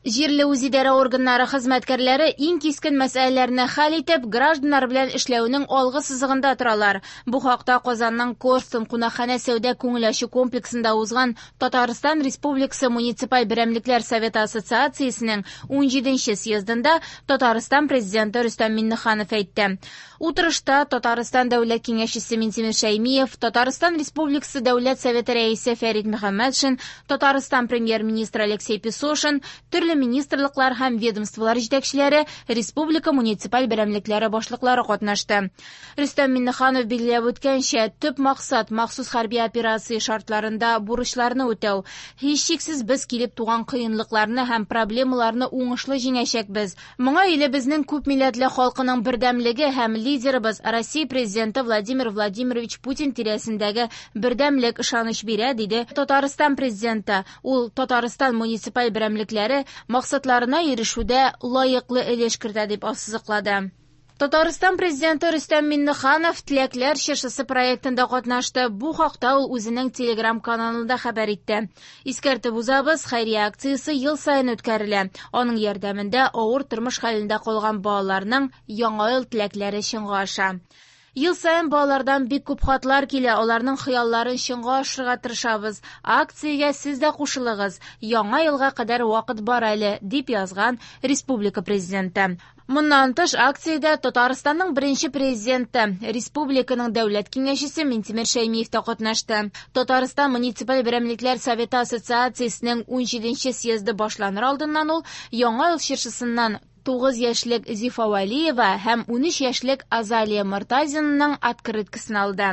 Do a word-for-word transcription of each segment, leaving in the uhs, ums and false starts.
Җирле үзидарә органнары хезмәткәрләре иң кискен мәсьәләләрне хәл итеп, гражданнар белән эшләүнең алгы сызыгында торалар. Бу хакта Казанның Корстон кунакханә сәүдә күңел ачу комплексында узган Татарстан Республикасы муниципаль берәмлекләр советы ассоциациясенең унҗиденче съездында Татарстан президенты Рөстәм Миңнеханов әйтте. Утырышта Татарстан Дәүләт Киңәшчесе Минтимер Шәймиев, Татарстан Республикасы Дәүләт Советы рәисе Фәрит Мөхәммәтшин, Татарстан премьер-министры Алексей Песошин, төрле министрлыклар һәм ведомстволар җитәкчеләре, республика муниципаль берәмлекләре башлыклары катнашты. Рөстәм Миңнеханов билгеләп үткәнчә, төп максат махсус хәрби операция шартларында бурычларны үтәү. Һичшиксез без килеп туган кыенлыкларны һәм проблемаларны уңышлы җиңәчәкбез. Моңа илебезнең күп милләтле халкының бердәмлеге һәм лидерыбыз Россия президенты Владимир Владимирович Путин тирәсендәге бердәмлек ышаныч бирә, диде Татарстан президенты. Ул Татарстан муниципаль берәмлекләре максатларына ирешүдә лаеклы өлеш кертә дип ассызыклады. Татарстан президенты Рөстәм Миңнеханов Теләкләр чыршысы проектында катнашты. Бу хакта ул үзенең Telegram каналында хәбәр итте. Искәртеп узабыз, хәйрия акциясе ел саен үткәрелә. Аның ярдәмендә авыр тормыш хәлендә калган балаларның яңа ел теләкләре чынга аша. Ел саен балалардан бик күп хатлар килә, аларның хыялларын чынга ашырырга тырышабыз. Акциягә сез дә кушылыгыз. Яңа елга кадәр вакыт бар әле, дип язган республика президенты. Моннан тыш, акциядә Татарстанның беренче президенты, республиканың дәүләт киңәшчесе Минтимер Шәймиев та катнашты. Татарстан муниципаль берәмлекләр советы ассоциациясенең унҗиденче съезды башланыр алдыннан ул Яңа ел чыршысыннан тугыз яшьлек Зифа Вәлиева һәм унөч яшьлек Азалия Мортазинаның открыткасын алды.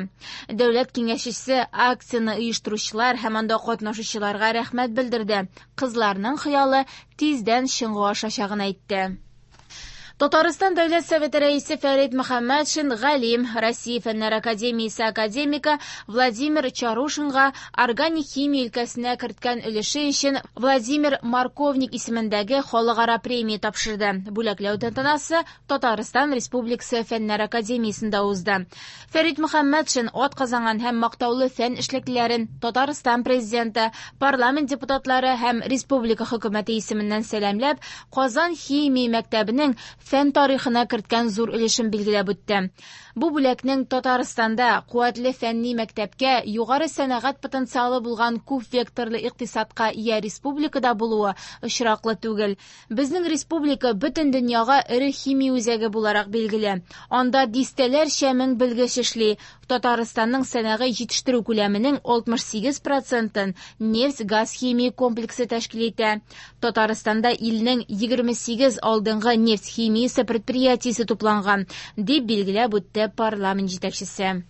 Дәүләт киңәшчесе акцияне оештыручылар һәм анда катнашучыларга рәхмәт белдерде. Кызларның хыялы тиздән чынга ашачагын әйтте. Татарстан Дәүләт Советы рәисе Фәрит Мөхәммәтшин галим, Россия Фәннәр академиясе академигы Владимир Чарушинга органик химия өлкәсенә керткән өлеше өчен Владимир Марковник исемендәге халыкара премия тапшырды. Бүләкләү тантанасы Татарстан Республикасы Фәннәр академиясендә узды. Фәрит Мөхәммәтшин атказанган һәм мактаулы фән эшлеклеләрен Татарстан президенты, парламент депутатлары һәм республика хөкүмәте исеменнән сәламләп, Казан химия мәктәбенең фән тарихына керткән зур өлешен билгеләп үтте. Бу бүләкнең Татарстанда куәтле фәнни мәктәпкә, югары сәнәгать потенциалы булган күп векторлы икътисадка ия республикада булуы очраклы түгел. Безнең республика бөтен дөньяга эре химия үзәге буларак билгеле. Анда дистәләрчә мең белгеч эшли. Татарстанның сәнәгый җитештерү күләменең алтмыш сигез процентын нефть-газ химия комплексы тәшкил итә. Татарстанда илнең егерме сигез алдынгы нефть химиясе предприятиесе тупланган, дип билгеләп үтте парламент җитәкчесе.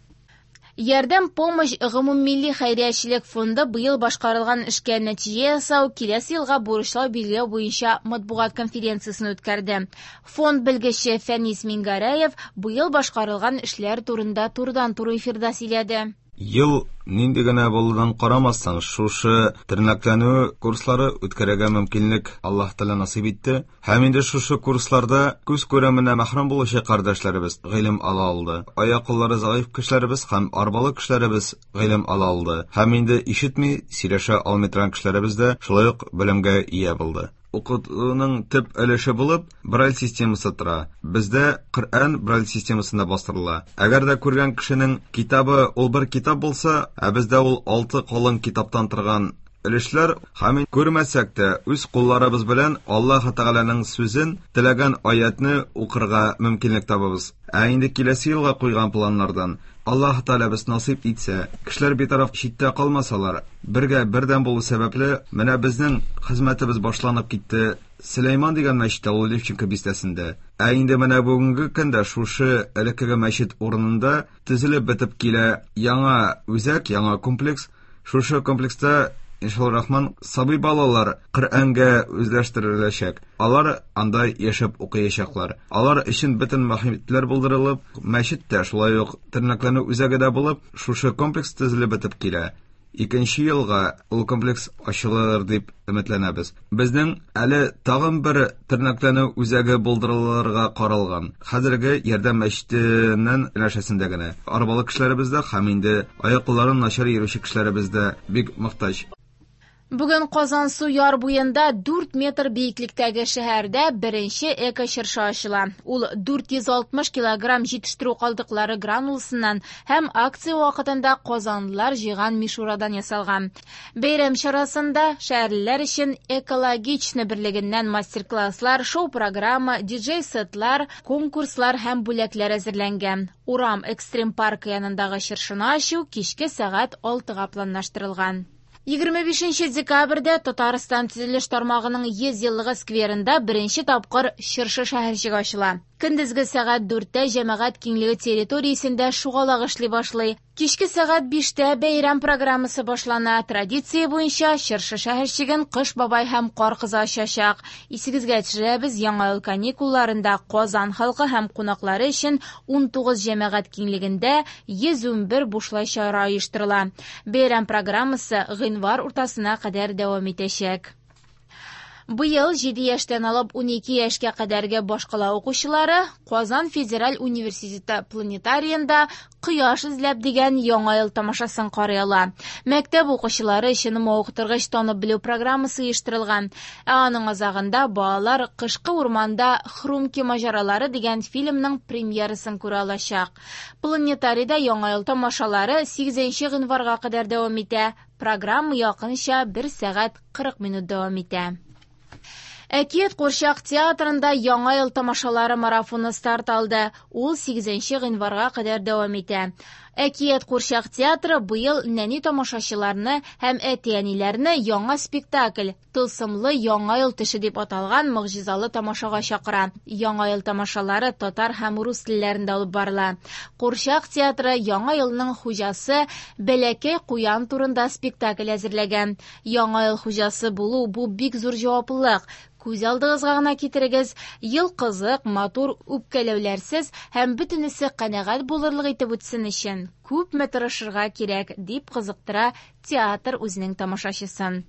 Ярдәм помощь гомуммилли хәйриячелек фонды быел башкарылган эшкә нәтиҗә ясау, киләсе елга бурычлар билгеләү буенча матбугат конференциясен үткәрде. Фонд белгече Фәнис Мингәрәев быел башкарылган эшләр турында турыдан-туры эфирда сөйләде. Ел нинди генә булудан карамастан, шушы тернәкләнү курслары үткәрергә мөмкинлек Аллаһ Тәгалә насыйп итте. Һәм инде шушы курсларда күз күременә мәхрүм булучы кардәшләребез гыйлем ала алды. Аяк-куллары заиф кешеләребез һәм арбалы кешеләребез гыйлем ала алды. Һәм инде ишетми, сөйләшә алмый торган кешеләребез дә шулай ук белемгә ия булды. Укытуның төп өлеше булып Брайль системасы тора. Бездә Коръән Брайль системасында бастырыла. Әгәр дә күргән кешенең китабы ул бер китап булса, ә бездә ул алты калын китаптан торган өлешләр, һәм күрмәсәк тә үз кулларыбыз белән Аллаһ Тәгаләнең сүзен, теләгән аятны укырга мөмкинлек табабыз. Ә инде киләсе елга куйган планнардан Аллаһ Тәгалә без насыйп итсә, кешеләр битараф читтә калмасалар, бергә бердәм булу сәбәпле, менә безнең хезмәтебез башланып китте. Сөләйман дигән мәчеттә, ул Левченко бистәсендә. Ә инде менә бүгенге көндә шушы элеккеге мәчет урынында төзелеп бетеп килә яңа үзәк, яңа комплекс. Шушы комплекста иншалла рахман сабый балалар Коръәнгә үзләштереләчәк. Алар анда яшәп укыячаклар. Алар өчен бөтен мохитләр булдырылып, мәчет тә шулай ук тернәкләнү үзәге дә булып, шушы комплекс төзелеп бетеп килә. Икенче елга ул комплекс ачылыр дип өметләнәбез. Безнең әле тагын бер тернәкләнү үзәге булдырылырга каралган. Хәзерге Ярдәм мәчетеннән янәшәсендә генә. Арбалы кешеләребез дә һәм инде аяк-кулларын начар йөрүче кешеләребез дә бик мохтаҗ. Бүген Казансу яр буенда дүрт метр биеклектәге шәһәрдә беренче эко-чыршы ачыла. Ул дүрт йөз алтмыш килограмм җитештерү калдыклары грануласыннан һәм акция вакытында казанлылар җыйган мишурадан ясалган. Бәйрәм чарасында шәһәрлеләр өчен экологичны берлегеннән мастер-класслар, шоу-программа, диджей-сетлар, конкурслар һәм бүләкләр әзерләнгән. Урам экстрим паркы янындагы чыршыны ачу кичке сәгать алтыга планлаштырылган. Егерме бишенче декабрьдә Татарстан төзелеш тармагының йөз еллыгы скверында беренче тапкыр чыршы шәһәрчеге ачыла. Көндезге сәгать дүрттә җәмәгать киңлеге территориясендә шугалак эшли башлый. Кичке сәгать биштә бәйрәм программасы башлана. Традиция буенча чыршы шәһәрчеген Кыш бабай һәм Кар кызы ачачак. Исегезгә төшерәбез, яңа ел каникулларында Казан халкы һәм кунаклары өчен ун тугыз җәмәгать киңлегендә йөз ун бер бушлай чара оештырыла. Бәйрәм программасы гыйнвар уртасына кадәр дәвам итәчәк. Быел җиде яшьтән алып ун ике яшькә кадәрге башкала укучылары Казан федераль университеты планетарийында Кояш эзләп дигән яңа ел тамашасын карый ала. Мәктәп укучылары өчен мавыктыргыч танып белү программасы оештырылган. Ә аның азагында балалар Кышкы урманда Хрумки маҗаралары дигән фильмның премьерасын күрә алачак. Планетарийда яңа ел тамашалары сигезенче гыйнварга кадәр дәвам итә. Программа якынча бер сәгать кырык минут дәвам итә. Әкият курчак театрында яңа ел тамашалары марафоны старт алды. Ул сигезенче гыйнварга кадәр дәвам итә. Әкият курчак театры быел нәни тамашачыларны һәм әти-әниләрне яңа спектакль Тылсымлы яңа ел төше дип аталган могҗизалы тамашага чакыра. Яңа ел тамашалары татар һәм рус телләрендә алып барыла. Курчак театры яңа елның хуҗасы Бәләкәй куян турында спектакль әзерләгән. Яңа ел хуҗасы булу бу бик зур җаваплылык. Күз алдыгызга гына китерегез, ел кызык, матур, үпкәләүләрсез һәм бөтенесе канәгать булырлык итеп үтсен өчен күпме тырышырга кирәк, дип кызыктыра театр үзенең тамашачысын.